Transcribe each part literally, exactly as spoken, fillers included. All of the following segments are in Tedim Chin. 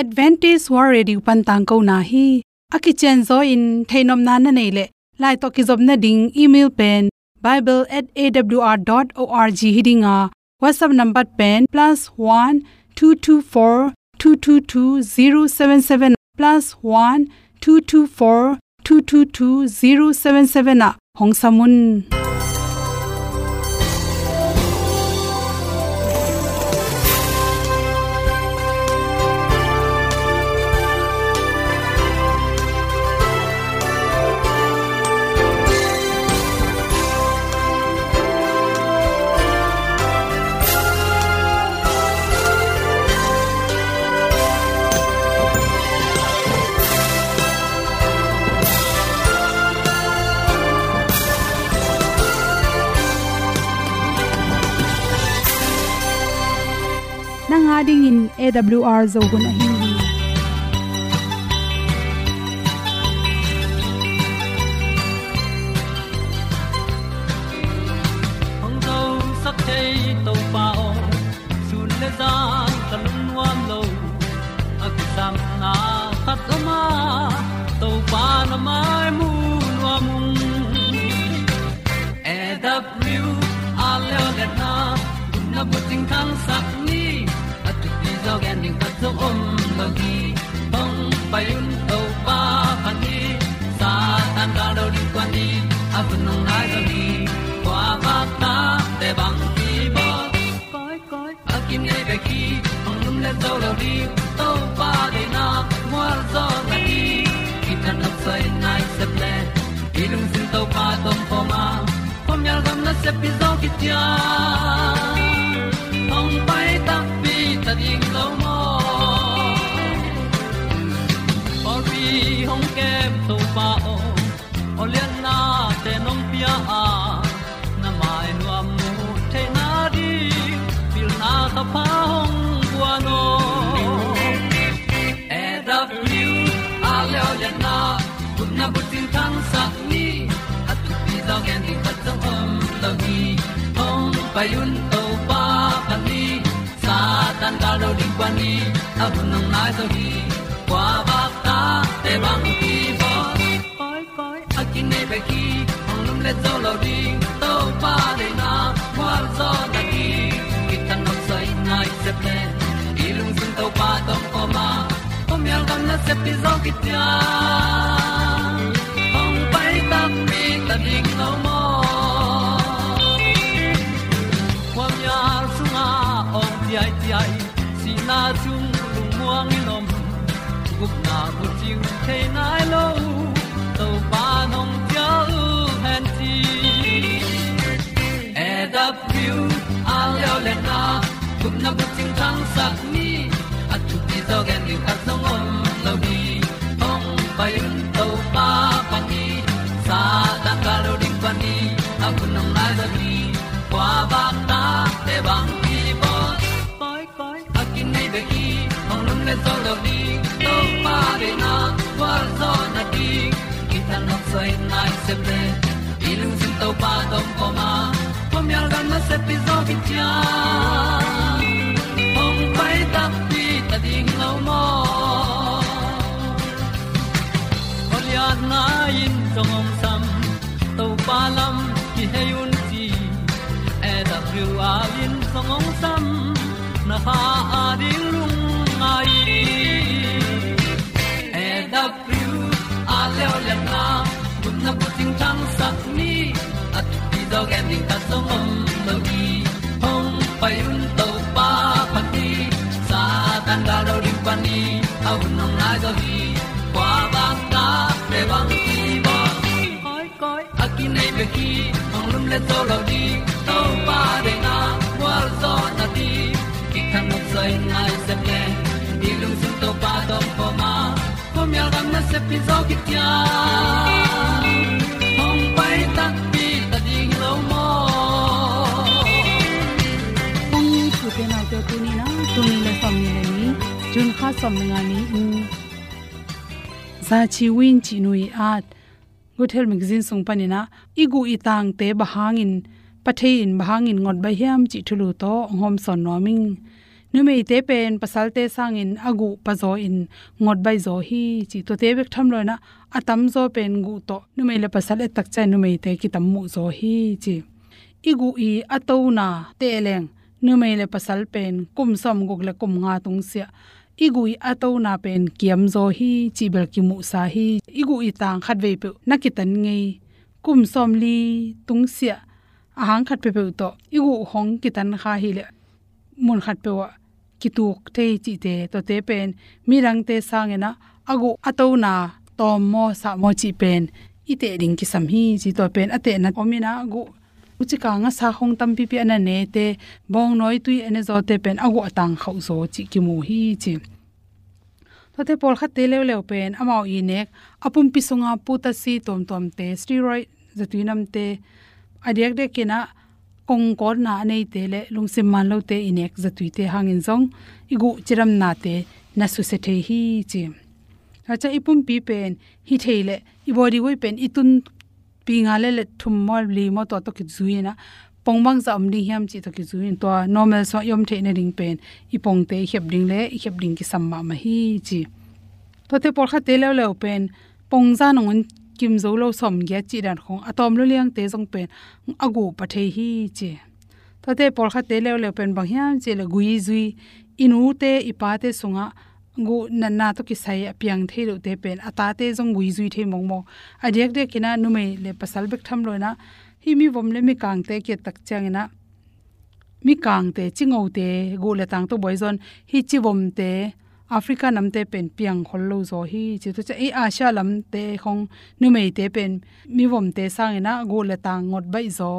Adventist World Radio pan tangkona hi. A kicianzaw in theihnopna na neih leh, lai tawh kizopna ding email pen bible at A W R dot org hi ding a, WhatsApp number pen plus one two two four two two two zero seven seven, plus one two two four two two two zero seven seven ah hong sam un. Nang a dingin A W R Zo hun ahi hi. Hong zosak thei Topa aw, sun le zan ka lungnuam lo. A kisapna khat om a, Topa na mai mu nuam ung. A W R leo le na, gupna bucing thangsak ni, a thupi zaw gen ding khat zong om lo hi. Hong pai un Topa phat ni, Satan gal do ding kuan ni, a hun hong nai zaw ni, kua vak ta te bang hi bawl. Koi, koi, a kinei bek hi, hong lum le zo lo ding, Topa deihna mual zaw na hi. Kithat nop soi nai sep le, i lungsim Topa tawh om khawm a, khuamial gam nasep pi zaw kician, hong pai takpi ta ding lo maw. Pawlpi hong kem Topa aw, aw liannate nong pia a, na mai nuam mu theihna ding, pilna thapha hong guan aw. A W R leo le na, gupna bucing thangsak ni, a thupi zaw gen ding khat zong om lo hi. Hong pai un Topa phat ni, Satan gal do ding kuan ni, a hun hong nai zaw hi. Kua vak ta te bang hi bawl. Koi, koi, a kinei bek hi, hong lum le zo lo ding, Topa deihna mual zaw na hi. Kithat nop soi nai sep le, i lungsim Topa tawh om khawm a, khuamial gam nasep pi zaw kician, hong pai takpi ta ding lo maw. Khuamial sungah awng ciaiciai, sihna sung lungmuang in om, gupna bucing thei nai lo, Topa nong cial hen ci. A W R leo le na, gupna bucing thangsak ni, a thupi zaw gen ding khat zong om lo hi. Hong pai un Topa phat ni, Satan gal do ding kuan ni, a hun hong nai zaw hi. Kua vak ta te bang hi bawl. Koi, koi, a kinei bek hi, hong lum le zo lo ding, Topa deihna mual zaw na ding. Kithat nop soi nai sep le, i lungsim Topa tawh om khawm a, khuamial gam nasep pi zaw kician, hong pai takpi ta ding lo maw. Aw lianna in zong hong sam, Topa lam kihei un ci. A W R in zong hong sam, na kha a ding lungngai. A W R leo le na, gupna bucing thangsak ni, a thupi zaw gen ding khat zong om lo hi. Hong pai un Topa phat ni, Satan gal do ding kuan ni, a hun hong nai zaw hi. Kua vak ta te bang hi bawl. Koi, koi, a kinei bek hi, hong lum le zo lo ding, Topa deihna mual zaw na ding. Kithat nop soi nai sep le, i lungsim Topa tawh om khawm a, khuamial gam nasep pi zaw kician, hong pai takpi ta ding lo maw. Kong ni thute naute, tuni na, tul nih le sawmnih le nih, June kha sawm le nga ni in, Zachi Win cih nu i at, Good Health Magazine sung panin ah, i guh i tangte bang hangin, pha thei in bang hangin ngot baih hiam cih thulu tawh hong hawmsawn nuam ing. Numeite pen pasalte sangin a guh pazaw in ngot baih zaw hi ci. Tuate bek tham loin ah a tamzaw pen guh tawh numei le pasal et tak ciang numeite kitam muh zaw hi ci. I guh i a tona teh leng numei le pasal pen kum sawmguk le kum nga tungsiah i guh i a tona pen kiamzaw hi cih bel kimuhsa hi. I guh i tang khatvei peuh na kitan ngei, kum sawmli tungsiah a hang khat peuhpeuh tawh i guh hong kitan kha hileh mun khat peuh ah kituk thei cihte, tuate pen midangte sangin ah a guh a tona tawm maw sah maw cih pen i teh ding kisam hi ci. Tua pen a tehna om in ah a guh, ucika ngasa hong tampipi a na nete, bawngnawi tui a ne zawte pen a guh a tang khauh zaw cih kimu hi ci. Tuate pawlkhatte leuleu pen amau i nek a pumpi sunga potassium tuamtuamte, steroid, zatui namte, a diakdiakin ah kongkawtna a neite le lungsim man lote i nek zatuite hangin zong i guh cidamnate na susia thei hi ci. Tua ciang i pumpi pen hi thei leh i body weight pen i tun pi nga le le thum maw li maw tua tawh kizui in ah pong bangzah om ding hiam cih tawh kizui in tua normal sungah i om theih nading pen i pongte i khep ding le i khep ding kisam mahmah hi ci. Tuate pawlkhatte leuleu pen pong za nangun kim zo lo sawmgiat cih dan khong a tawm lua liangte zong pen a guh pha thei hi ci. Tuate pawlkhatte leuleu pen bang hiam cih leh gui zui, i nute i pate sungah guh natna tawh kisai a piang thei lote pen a tate zong gui zui thei mawkmawk. A diakdiakin ah numei le pasal bek tham loin ah hih mivom le mikangte kiat tak ciangin ah mikangte, cingote guh le tang tawh buai zaw in hih civomte Africa namte pen piang khol lo zaw hi ci. Tua ciang ei Asia lamte khong numeite pen mivomte sangin ah guh le tang ngot baih zaw,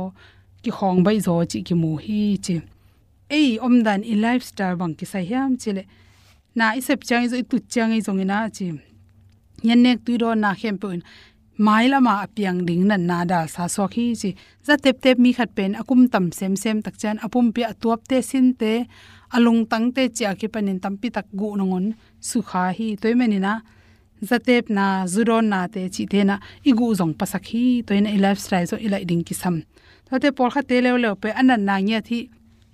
kikhawng baih zaw cih kimu hi ci. Ei omdan i lifestyle bang kisai hiam cih leh na i sep ciang i zong, i tut ciang i zongin ah ci, ngen nek tui dawnna khempeuh in mailama a piang ding natna dalsa suak hi ci. Zateptep mi khat pen a kum tam semsem tak ciang a pumpi a tuapte, sinte, a lungtangte cih a kipanin tampitak guh nangun sukha hi. Tua ahih manin ah zatepna, zudawnnate cihte in ah i guh zong pasak hi. Tua in ah i lifestyle zong i laih ding kisam. Tuate pawlkhatte leuleu pen a natna ngiat hi,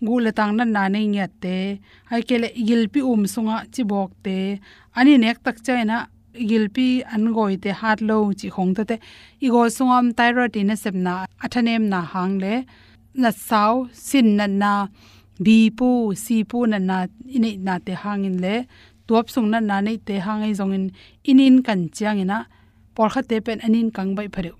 guh le tang natna nei ngiatte, ahih kei leh i gilpi um sungah cibawkte, an i nek tak ciangin ah i gilpi an gawite hat lo cih khong, tuate i gawl sungah om thyroid i nasepna a thanemna hang le natsau, sin natna, bipu, sipu natna i neihnate hangin le tuap sung natna neihte hang ahi zongin i nin kan ciangin ah pawlkhatte pen a nin kang baih phadeuh.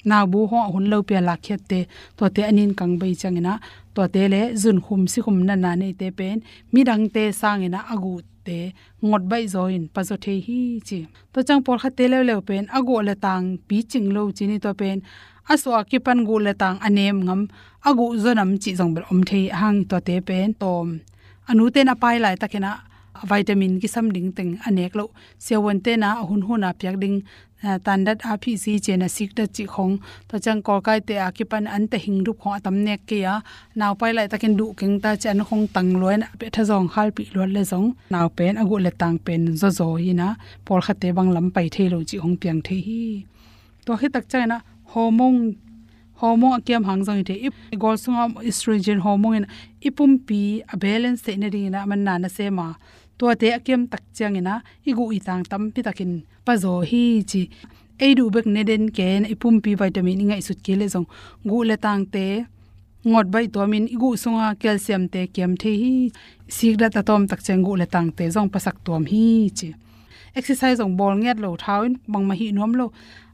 Naubu hong a hun lopi a lakkhiatte, tuate a nin kang baih ciangin ah tuate le zunkhum sikhum natna neite pen midangte sangin ah a guhte ngot baih zaw in pazaw thei hi ci. Tua ciang pawlkhatte leuleu pen a guh le tang picing lo ci ni, tua pen a suah a kipan guh le tang a nem ngam, a guh zaw nam cih zong bel om thei a hang, tuate pen tawm. A nute in a pai laitakin ah vitamin kisam ding teng a nek loh, siavuante in ah a hunhun a piak ding, ah, tandat a phisi cih na sikdat cih khong, tua ciang kawlkaite a kipan an te hingdup khong a tam nek kei a, nau pai laitakin duh keng ta ci an khong tang lua in a pia thazawng khalpih luat le zong nau pen a guh le tang pen zawzaw hi in ah pawlkhatte bang lam pai thei lo cih hong piang thei hi. Tua khit tak ciangin ah hormone, hormone a kiam hang zong hi thei. I gawl sungah estrogen hormone in i pumpi a balance theih nadingin ah manna na sem a, tuate a kiam tak ciangin ah i guh i tang tampitakin pazaw hi ci. Ei duh bek ne den kei in ah i pumpi vitamin i ngaihsut kei leh zong guh le tangte ngot baih tuamin i guh sunga calciumte kiam thei hi. Sikdat a tawm tak ciang guh le tangte zong pasak tuam hi ci. Exercise zong bawl ngiat lo, thau in bangmah hih nuam lo,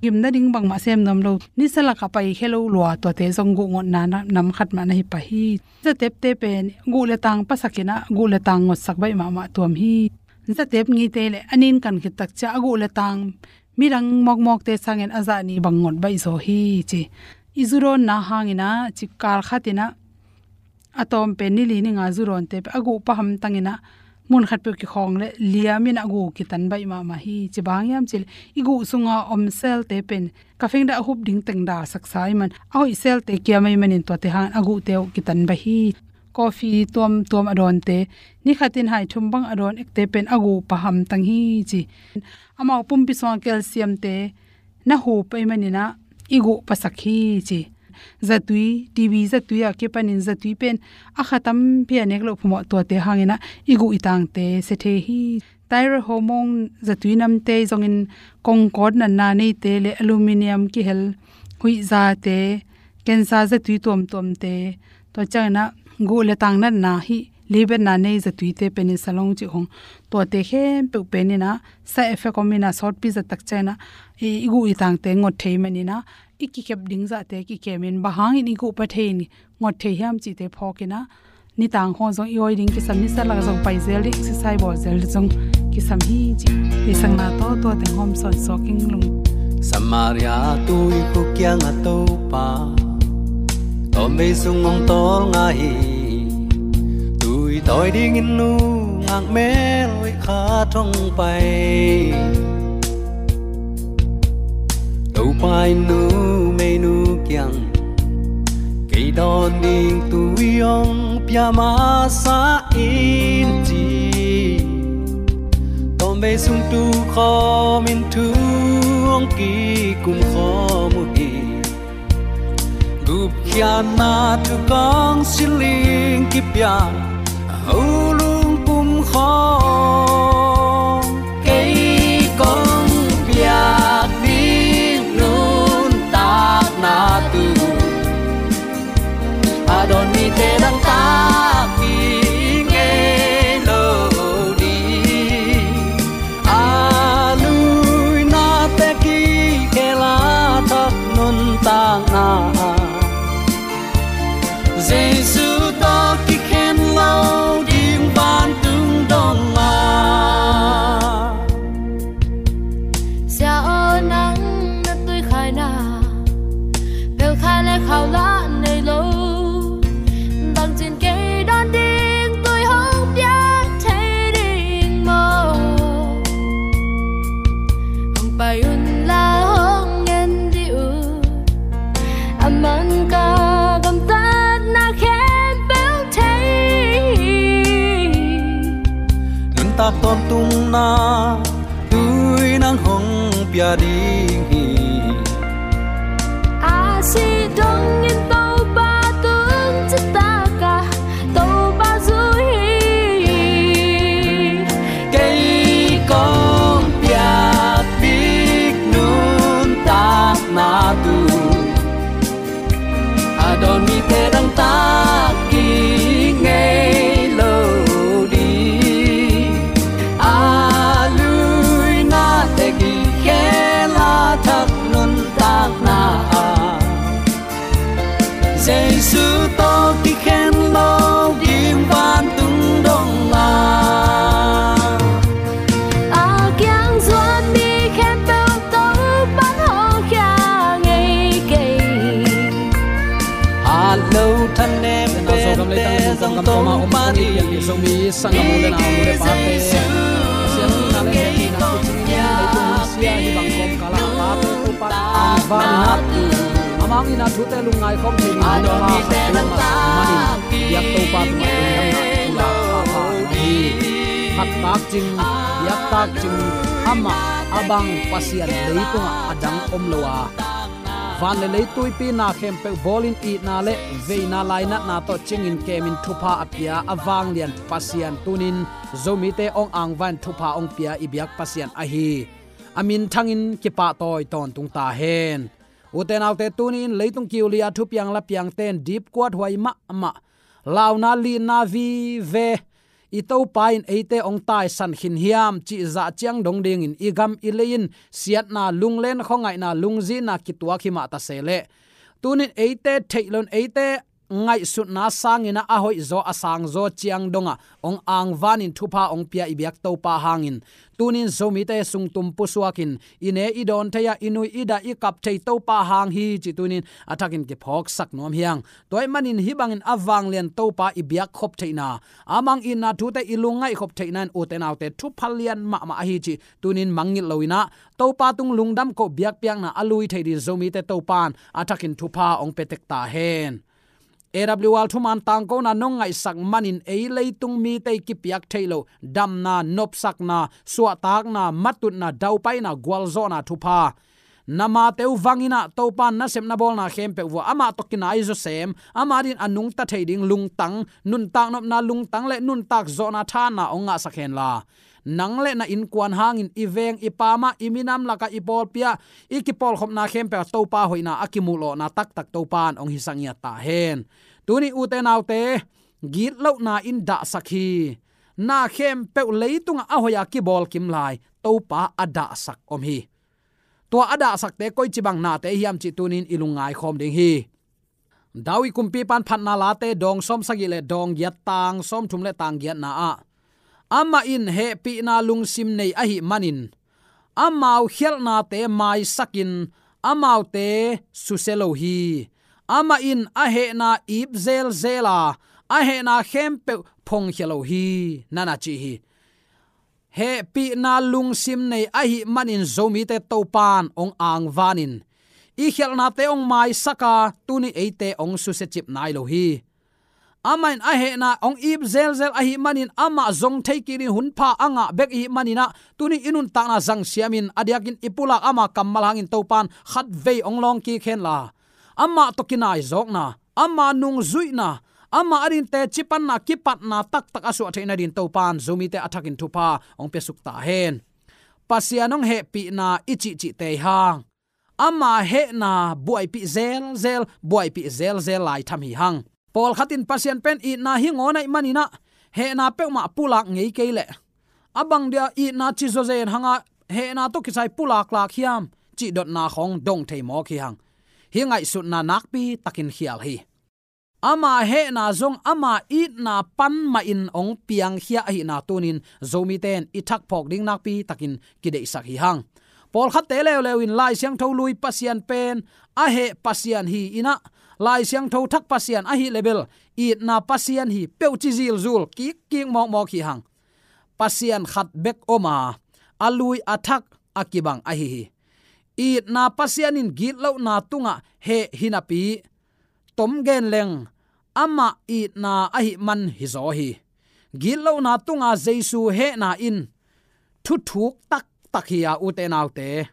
gim nading bangmah sem nuam lo, nisa lakah paikhia lo lua, tuate zong guh ngotna na, nam khat mah na hi pah hi. Zatepte pen guh le tang pasakin ah guh le tang ngotsak baih mahmah tuam hi. Zatep ngite le a nin kan khit tak ciang a guh le tang midang mawkmawkte sangin a zah nih bang ngot baih zaw hi ci. I zudawnna hangin ah ci, kal khatin ah a tawm pen ni li ni nga zudawnte pen a guh pha hamtangin ah mun khat peuh kikhawng le liamin a guh kitan baih mahmah hi ci. Bang hiam cih leh i guh sunga om cell-te pen ka fengdah a hup ding teng dalsaksa ahih man a hoih cell-te kiam ahih manin tuate hangin a guhte uh kitan baih hi. Coffee tuamtuam a dawnte, ni khatin hai thum bang a dawn ekte pen a guh pha hamtang hi ci. Amau pumpi sunga calcium-te na hup ahih manin ah i guh pasak hi ci. zatui, T B zatui a kipanin zatui pen a kha tampi a nek loh phamawh, tuate hangin ah i guh i tangte sia thei hi. Thyroid hormone zatui namte zongin kongkawt natna neite le aluminium kihel huih zate, cancer zatui tuamtuamte, tua ciangin ah guh le tang natna hi, libetna nei zatuite penin salong cih hong, tuate khempeuh penin ah side effect om in ah sawtpi zat tak ciangin ah i, i guh i tangte ngot thei manin ah i kikhep ding zahte kikemin bang hangin i guh pha thei in ngot thei hiam cihte phawkin ah nitang khawng zong i awi ding kisam, nisa lak zong pai zel ding, exercise bawl zel ding zong kisam hi cih. Hih sangna tawh tua teng hawm sawn suak ing lung. Samaria tuikhuk kiangah Topa tawmvei sung hong tawlnga hi. Tui tawi dingin nungak mel hoih khat hong pai. Topa in numeinu kiang, kei dawn ding tui hong pia masa in, ci. Tawmvei sung tukhawmin thu hong kikum khawm uh hi. Gupkhiatna thu kong siling kipia a, ho lungpum khawng, kei kong piak ding nuntakna tu a dawn mite dangtak ding ngei lo ding. A luinate kikhel a thak nuntakna, Jesu tawh kikhen lo ding vantung dong a. Sia aw, nang na tuikhaina, pelkhai le khau lah nei lo. Bangcin kei dawn ding tui hong pia thei ding maw? Hong pai un la, hong ngen dih un. A man ka gamtatna khempeuh thei. Nuntak tawntungna tui nang hong pia ding hi. A sih dongin Topa tung citak a, Topa zui hi. Kei kong piak bik nuntakna tu a dawn mite dangtak ding ngei lo ding. A luinate kikhel a thak nuntakna a, Jesu tawh kikhen lo ding vantung dong a. A kiang zuan mi khempeuh Topa'n hawlkhia ngei kei. Hat lo thanem pente zong Topa ding. Zomi sanggam u le nau, u le pate, Pasian in na le hehpihna kicing in leitung hun sia hih bang kawmkal ah a pate Topa angvan in ah, amah in ah thute lungngai khawm thei ding Topa khat peuhmah manin biak Topa tungah lungdamna thu la pha pha hi. Phat tak cin, biak tak cin, amah a bang Pasian leitungah a dang om lo a, van le lei tuipi na khempeuh bawlin itna le veina lainatna tawh cingin kemin thupha a pia a vanglian Pasian tunin Zomite hong angvan thupha hong pia i biak Pasian ahi a minthangin kipahtawi tawntung ta hen. Ute naute, tuni-in leitung kiuli a thupiang lapiangte in dipkuat huai mahmah, launa lina vive, i Topa in eite hong taisan khin hiam cih zah ciang dong dingin i gam i lei in siatna, lunglen khuangaihna, lungzinna kituak hi mah ta se leh, tunin eite theih loin eite ngaihsutna sangin ah a hoihzaw a sangzaw ciang dongah hong angvanin thupha hong pia i biak Topa hangin, tunin Zomite sungtum pusuakin i ne i dawn thei a, i nui i dah i kap thei Topa hang hi cih tunin a thakin kiphawksak nuam hi hang. Tua ahih manin hih bangin a vanglian Topa i biak khop theihna, a mang itna thute i lungngaih khop theihna in ute naute thupha lian mahmah ahi cih tunin mangngilh loin ah, Topa tung lungdam koh biakpiakna a lui thei dingin Zomite Topa in a thakin thupha hong pia tek ta hen. A W R thuman tangkona nong ngaihsak manin ei leitung mite i kipiak theih loh damna, nopsakna, suahtakna, matutna, daupaina, gualzawhna thupha Na mate uh vang in ah Topa'n nasepna bawlna khempeuh vua amah tawh kinai zawsem, amah adingin a nungta thei ding lungtang, nuntak nopna lungtang le nuntak zawhna thahatna hong ngahsak henla, nang le na innkuan hangin i veng i pam ah, i minam lakah, i pawlpi ah, i kipawlkhopna khempeuh ah Topa hoihna a kimuhlawhna taktak Topa'n hong hisak ngiat ta hen. Tuni ute naute, gitlohna in dahsak hi. Na khempeuh leitungah a hoih a kibawl kim lai Topa a dahsak om hi. Tua a dahsakte koici bang nate hiam cih tuni-in i lungngai khawm ding hi. David kumpipa'n Phatna Late dawng sawmsagih le dawng giat, tang sawmthum le tang giatna ah, amah in hehpihna lungsim nei ahih manin amau khialhnate maisakin amaute susia lo hi. Amah in a hehna ip zelzel a, a hehna khempeuh phongkhia lo hi, na na ci hi. Hehpihna lungsim nei ahih manin Zomite Topa'n hong angvanin i khialhnate hong maisak a, tuni eite hong susiacip nai lo hi. Amah in a hehna hong ip zelzel ahih manin amah zong thei kik ding hunpha a ngah bek ihih manin ah, tuni i nuntakna zangsiamin a diakin i pulak ama kammal hangin Topa'n khatvei hong lawng kik henla, amah tawh kinaizawkna, ama nungzuihna, ama adingin teci panna, kipatna taktak a suah theih nadingin Topa'n Zomite a thakin thupha hong piasuk ta hen. Pasian hong hehpihna i cihcihte hang, ama hehna buaipih zelzel, buaipih zelzel lai tham hi hang. Pawlkhat in Pasian pen itna hi ngawn ahih manin ah, hehna peuhmah pulak ngei kei leh, a bang dia itna ci zawzen hang a, hehna tawh kisai pulaklak hiam cih dotna khawng dong thei mawk hi hang. Hih ngaihsutna nakpi takin khial hi. Ama hehna zong ama itna pan mahin hong piangkhia ahihna tuni-in Zomite in i thak phawk ding nakpi takin kideihsak hi hang. Pawlkhatte leuleu in Lai Siangtho lui Pasian pen a heh Pasian hi in ah, Lai Siangtho thak Pasian ahih leh bel itna Pasian hi peuh ci zilzul kikkik mawkmawk hi hang. Pasian khat bek om a, a lui a thak a kibang ahi hi. Itna Pasian in gitlohna tungah heh hi napi, tom gen leng, amah itna ahih man hizaw hi. Gitlohna tunga Jesu hehna in thuthuk taktak hi a, ute naute.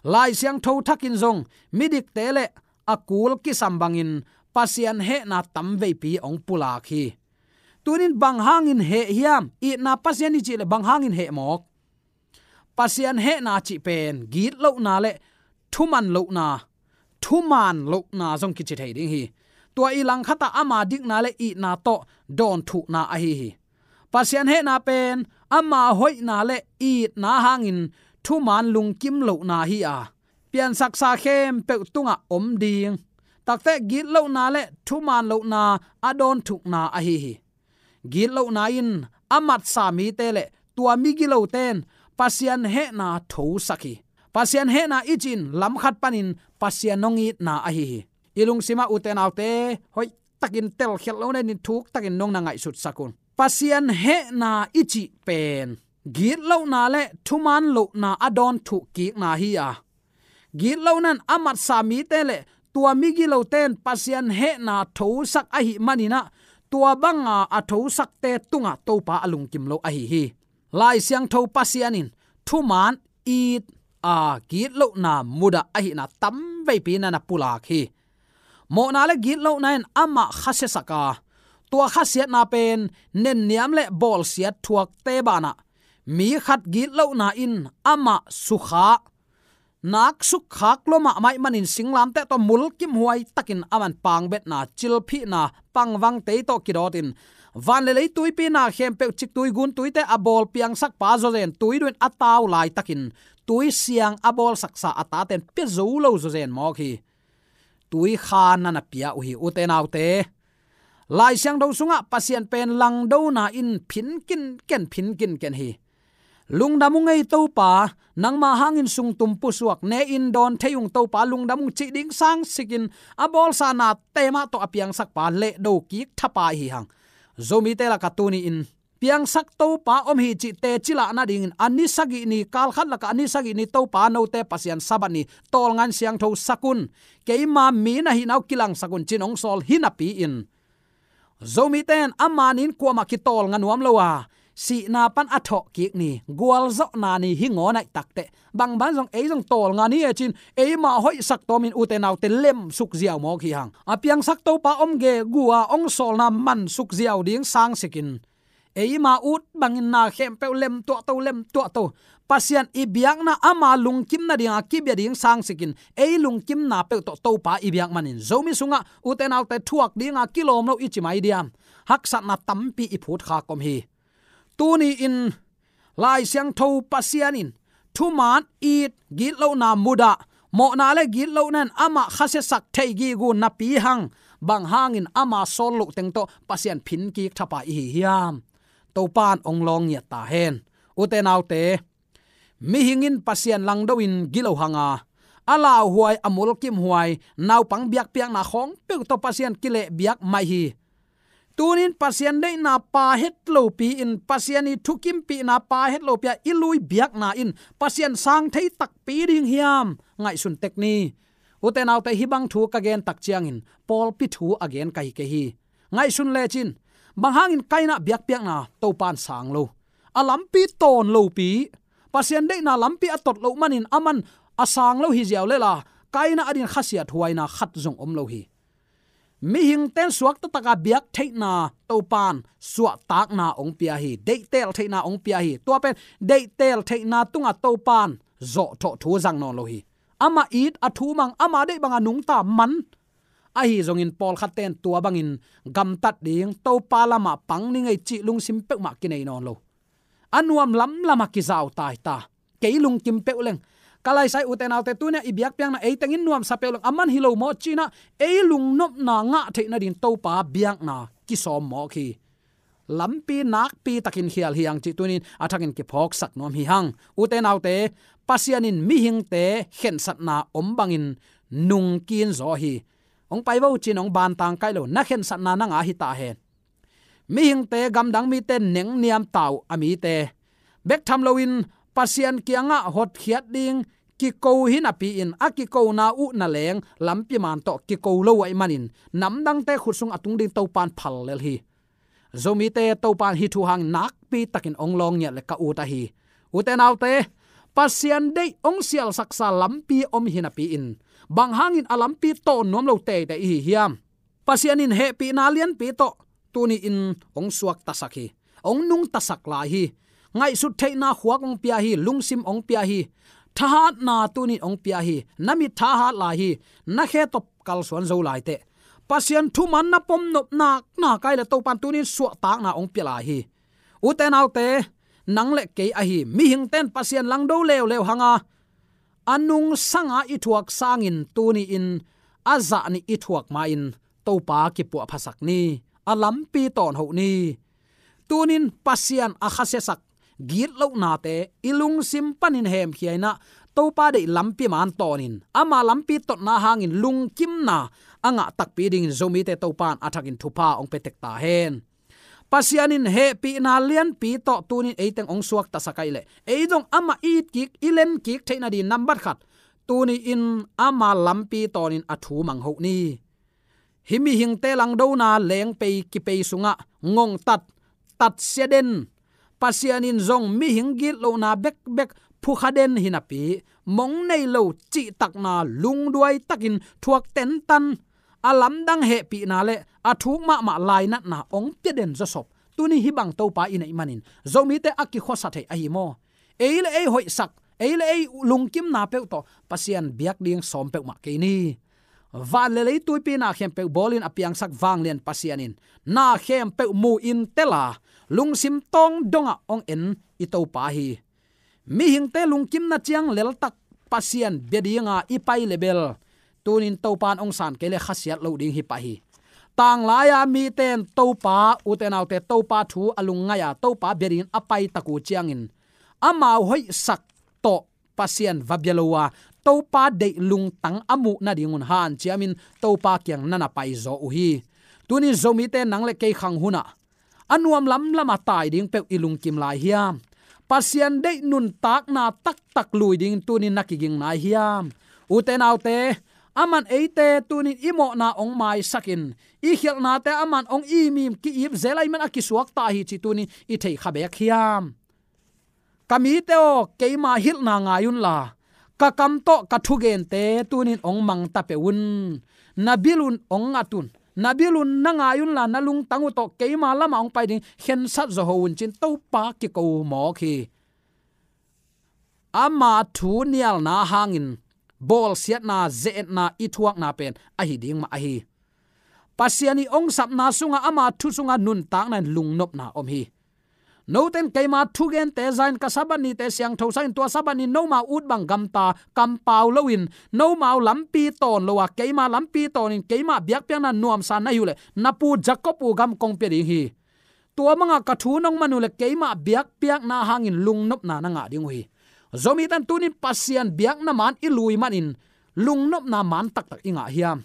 Lai Siangtho thakin zong midikte le a kul kisam bangin Pasian hehna tamveipi hong pulak hi. Tuni-in bang hangin heh hiam? Itna Pasian i cih leh bang hangin heh mawk? Pasian hehna cih pen gitlohna le thuman lohna, thuman lohna zong kici thei ding hi. Tua i langkhat ah ama dikna le itna tawh dawnthukna ahi hi. Pasian hehna pen ama hoihna le itna hangin thuman lungkim lohna hi a, piansaksa khempeuh tungah om ding, takte gitlohna le thuman lohna a dawnthukna ahi hi. Gitlohna in a matsa mite le tua migilote in Pasian hehna thosak hi. Pasian hehna i cih in lamkhat panin Pasian hong itna ahi hi. I lungsim ah, ute naute, hoihtakin telkhialh lo nadingin thuktakin nong na ngaihsutsak un. Pasian hehna i cih pen gitlohna le thuman lohna a dawnthuk kikna hi a, gitlohna in a matsa mite le tua migilote in Pasian hehna thosak ahih manin ah, tua banga a thosakte tungah Topa a lungkim lo ahi hi. Lai Siangtho Pasian in thuman it a, gitlohna mudah ahihna tamveipi na na pulak hi. Mawhna le gitlohna in amah khasiasak a, tua khasiatna pen nenniam le bawlsiat thuakte banah, mi khat gitlohna in amah sukha, nak sukkhak lua mahmah ahih manin singlamteh tawh mulkimhuai takin aman pangbetna, cilphihna, pangvangtei tawh kidawtin, van le lei tuipi na khempeuh, ciktui guntuite a bawl piangsakpa zawzen tui duh in a tau laitakin, tui siang a bawlsaksa a tate in pia zo lo zawzen mawk hi. Tui kha na na pia uh hi, ute naute. Lai Siangtho sungah Pasian pen langdona in phin kinken, phin kinken hi. Lungdam ung ei Topa, nangma hangin sungtum pusuak, ne-in dawn thei ung Topa, lungdam ung cih ding sangsikin a bawlsa nate mah tawh a piangsakpa lehdo kik thapa hi hang. Zomite lakah tuni-in piangsak Topa om hi cih teci lah nadingin a ni sagih ni, kalkhat lakah a ni sagih ni Topa note Pasian Sabbath ni tawlnga in siangtho sak un, keima mi na hihna uh kilangsak un ci-in hong sawl hi napi-in, Zomite in ama ni-in kuamah kitawlnga nuam lo a, sihna pan a thawh kik ni, gualzawhna ni hi ngawn aih takteh, bangbang zong ei zong tawlnga ni e cin, eimah hoihsak tawmin ute naute lemsuk ziau mawk hi hang. A piangsak Topa om gegu a ong sawlna mansuk ziau ding sangsikin, eima ut bangin na khempeuh lemtuahto, lemtuahto. Pasian i biakna ama lungkimna dinga kibia ding sangsikin, ei lungkimna peuh tawh Topa i biak manin Zomi sungah ute naute thuak dinga kilawm lo i ci mai diam? Haksatna tampi i phut khak om hi. Tuni-in Lai Siangtho Pasian in thuman it, gitlohna mudah, mawhna le gitlohna in amah khasiasak thei gegu napi hang, bang hangin ama sawl loh teng tawh Pasian phinkik thapai i hi hiam? Topan ong lawng ngiat ta hen. Ute naute, mihing in Pasian langdo in gilo hanga, a lauhuai, a mulkimhuai, naupang biakpiakna khawng peuh tawh Pasian kilehbiak mai hi. Tunin Pasian deihna pha het lopi in, Pasian i thukimpihna pha het lopi a i lui biakna in Pasian sang thei takpi ding hiam? Ngaihsun tek ni. Ute naute, hih bang thu ka gen tak ciangin pawlpi thu a gen ka hi kei hi. Ngaihsun lecin, bang hangin Kaina biakpiakna Topan sang lo? A lampi tawn lopi, Pasian deihna lampi a tot loh manin aman a sang lo hi ziau lela, Kaina adin khasiat huaina khat zong om lo hi. Mihingten suakta taka biak theihna Topan suahtakna ong pia hi, deihtel theihna ong pia hi. Tua pen deihtel theihna tunga Topan zawhthawh thu zang nawn lo hi. Amah it, a thu mang, ama deih banga nungta man. Ahi zongin pawlkhatten tua bangin gamtat ding, Topa lamah pang ni ngei cih lungsim peuhmah kinei nawn lo. A nuam lamlamah kizau taita. Kei lungkim peuh leng, ka laisai ute naute, tunia i biakpiakna eitengin nuamsa peuh leng, aman hi lo maw cinah ei lungnopna ngah theih nading Topa biakna kisawm mawk hi. Lampi nakpi takin khial hi hang cih tunin a thakin kiphawksak nuam hi hang. Ute naute, Pasian in mihingte khensatna om bangin nungkin zaw hi. Ong pai vo cin ong bantang kai lo, na khensatna na ngah hi ta hen. Mihingte, gamdang mite nengniam ta uh a mite, bek tham loin Pasian kiangah hotkhiat ding kiko hi napi-in, a kikona uh na leng lampi man tawh kiko lo ahih manin, namdangte khut sung a tung ding Topan phal lel hi. Zomite Topan hih thu hang nakpi takin ong lawng ngiat le ka ut ahi. Ute naute, Pasian deih ong sialsaksa lampi om hi napi-in, bang hangin a lampi tawn nuam lo teitei i hi hiam? Pasian in hehpihna lianpi tawh tuni-in ong suaktasak hi. Ong nungtasak lai hi. Ngaihsut theihna khuak ong pia hi, lungsim ong pia hi. Thahatna tunin ong pia hi. Na mit thahat lai hi. Na khe tawh kalsuan zo lai teh. Pasian thuman na pom nop nakna kai le Topan tunin suahtakna ong pia lai hi. Ute naute, nang le kei ahi mihingten Pasian langdo leuleu hanga, a nungsanga i thuak sangin tuni-in a zahnih i thuak ma-in Topa kipuahphasak ni. A lampi tawn hoh ni. Tunin Pasian a khasiasak gitlohnate i lungsim panin hemkhia inah, Topa deih lampi man tawnin, ama lampi totna hangin lungkimna a ngah takpi dingin Zomite Topan a thakin thupha ong pia tek ta hen. Pasian in hehpihna lianpi tawh tunin eiteng ong suaktasak ahih leh, ei zong amah i it kik, i len kik theih nading nambat khat, tuni-in ama lampi tawnin a thu mang hoh ni. Hih mihingte langdona lengpei kipei sungah ngongtat, tatsia den, Pasian in zong mihing gitlohna bekbek phukha den hi napi, mong nei lo cihtakna lungduai takin thuak tentan, a lamdang hehpihna le a thuk mahmah lainatna ong pia den zawsop. Tuni hih bang Topa i neih manin Zomite a kikhuasa thei ahi maw? Ei le ei hoihsak, ei le ei lungkimna peuh tawh Pasian biak ding sawm peuhmah kei ni. Van le lei tuipi na khempeuh bawlin a piangsak vanglian Pasian in na khempeuh mu-in tela, lungsim tawng dongah ong en i Topa hi. Mihingte lungkimna ciang leltak Pasian bia dinga i pai le bel, tunin Topan ong san kei le khasiat lo ding hi pah hi. Tanglai-a miten Topa, ute naute, Topa thu a lungngaih-a Topa bia dingin a paitak uh ciangin, amau hoihsak tawh Pasian va bia lo a, Topa deih lungtang a muh nadingun hanciamin Topa kiang na na paizaw uh hi. Tunin Zomite nang le kei khang hunah a nuam lamlamah tai ding peuh i lungkim lai hiam? Pasian deih nuntakna taktak lui dingin tunin na kiging nai hiam? Ute naute, Aman eite tunin i mawhna hong maisakin, i khialhnate aman hong imim ki-ip zel ahih man a kisuakta hi cih tunin i thei kha bek hiam? Ka mite aw, keima hilhna ngai unla, ka kam tawh ka thugente tunin hong mangta peuh un. Na bil un hong ngat un. Na bil un na ngai unla, na lungtang uh tawh keima lamah hong pai ding khensat zawh un, ci-in Topa kiko mawk hi. Ama thu nialna hangin bawlsiatna, ze-etna i thuakna pen ahi ding mah ahi. Pasian i hong sapna sungah ama thu sungah nuntakna in lungnopna om hi. Noten keima thugente za-in ka Sabbath nite siangtho sa-in, tua Sabbath ni nomau ut bang gamta kampau loin, nomau lampi tawn lo a, keima lampi tawnin keima biakpiakna nuamsa na hi uh leh, na pu Jacob uh gam kong pia ding hi. Tua bangah ka thu nong man uh leh keima biakpiakna hangin lungnopna na ngah ding uh hi. Zomite in tunin Pasian biakna man i lui manin lungnopna man taktak i ngah hiam?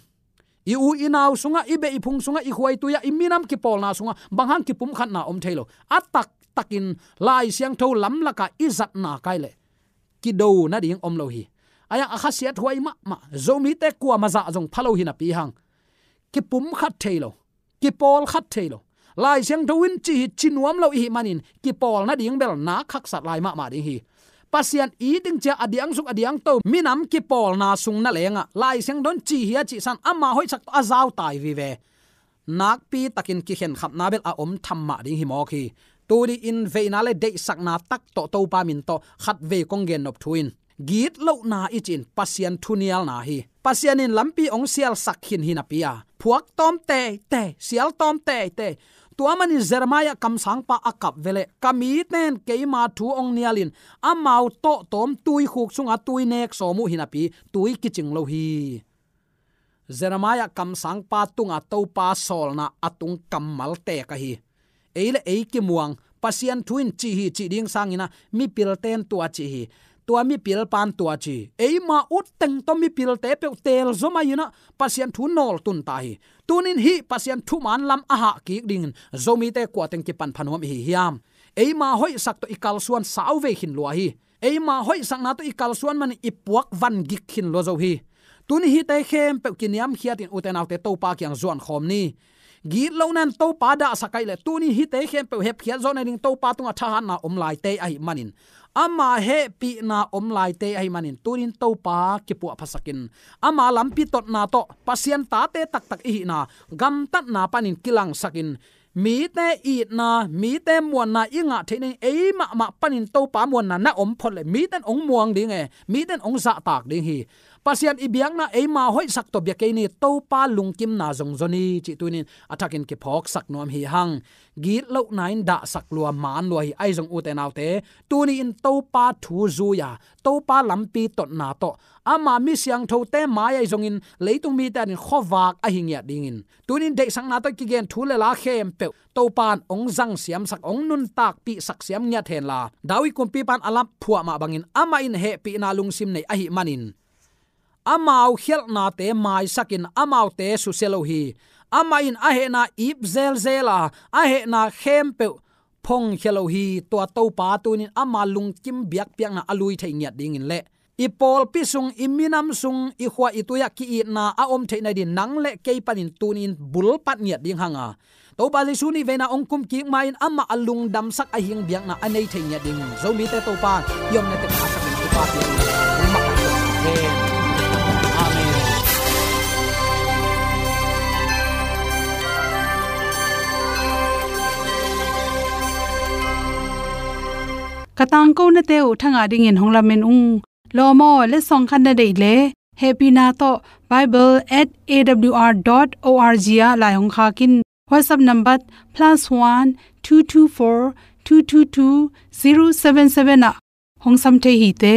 I u i nau sungah, i beh i phung sungah, i khua i tui ah, i minam kipawlna sungah bang hang kipumkhatna om thei lo? A taktakin Lai Siangtho lamlakah i zatna kai leh kido nading om lo hi. Ahi hang a khasiathuai mahmah Zomite kuamah zah zong pha lo hi napi hang, kipumkhat thei lo, kipawlkhat thei lo. Lai Siangtho in ci hi, ci nuam lo i hih manin kipawl nading bel nak haksat lai mahmah ding hi. Pasian it ding ci-a a diang suk a diang to minam kipawlna sung na lengah Lai Siangtho in ci hi a cih san ama hoihsak tawh a zautai vive, nakpitakin kikhenkhapna bel a om tham mah ding hi mawk hi. Tuni-in veina le deihsakna tak tawh Topa min tawh khatvei kong gennop thu in, gitlohna i cih in Pasian thu nialna hi. Pasian in lampi hong sialsak khin hi napi a, phuak tawm teitei, sial tawm teitei. Tua manin Jeremiah kamsangpa a kap veleh, ka mite in keima thu hong nialin amau tawhtawm tuikhuk sungah tui nek sawm uh hi napi, tui kicing lo hi. Jeremiah kamsangpa tungah Topa sawlna a tung kammal tek ahi. Ei le ei kimuang, Pasian thu in ci hi cih ding sangin ah mipilte in tua ci hi, tua mipilpa in tua ci hi. Eima utteng tawh mipilte peuh teelzom ahi-in ah Pasian thu nawltun ta hi. Tunin hih Pasian thuman lam a hah kik dingin Zomite kuateng kipan pha nuam i hi hiam? Eima hoihsak tawh i kalsuan sauvei khin lua hi. Eima hoihsakna tawh i kalsuan manin i puak van gik khin lua zo hi. Tuni hihte khempeuh kiniamkhiatin ute naute Topa kiang zuankhawm ni. Gitlohna in Topa dahsak ahih leh tuni hihte khempeuh hepkhiat zawh nading Topa tungah thahatna om laite ahih manin, ama hehpihna om laite ahih manin, tunin Topa kipuahphasakin, ama lampi totna tawh Pasian tate taktak i hihna gamtatna panin kilangsakin, mite itna, mite muanna i ngah theih nading ei mahmah panin Topa muanna na om phot leh mite in hong muang ding e, mite in hong zahtak ding hi. Pasian i biakna eima hoihsak tawh bia kei ni, Topa lungkimna zong zaw ni cih tunin a thakin kiphawksak nuam hi hang. Gitlohna in dahsak lua, man lua hi. Ahi zong ute naute, tuni-in Topa thu zui-a, Topa lampi totna tawh, ama mi siangthote mai ahi zongin leitung mite adingin khuavak ahi ngiat dingin, tunin deihsakna tawh kigen thu le la khempeuh Topa in hong zang siamsak, hong nuntakpihsak siam ngiat henla, David kumpipa in a lap phuah mah bangin amah in hehpihna lungsim nei ahih manin, amau khialhnate maisakin amaute susia lo hi. Amah in a hehna ip zelzel a, a hehna khempeuh phongkhia lo hi. Tua Topa tunin ama lungkim biakpiakna a lui thei ngiat dingin le i pawlpi sung, i minam sung, i khua i tui-ah ki-itna a om theih nadingin nang le kei panin tunin bulpat ngiat ding hanga, Topa Jesu nih veina hong kumkik ma-in amah a lungdamsak a hing biakna a nei thei ngiat ding Zomite Topa i omna teng a sakin Topa piang in hong makaih hen. Amen. Ka tangkonate uh thangah dingin hong lamen ung. Lawm aw, letsong khat na deih leh, hehpihna tawh bible at A W R dot O R G ah lai hong khak in. WhatsApp number plus one two two four two two two zero seven seven ah hong sam thei hi te.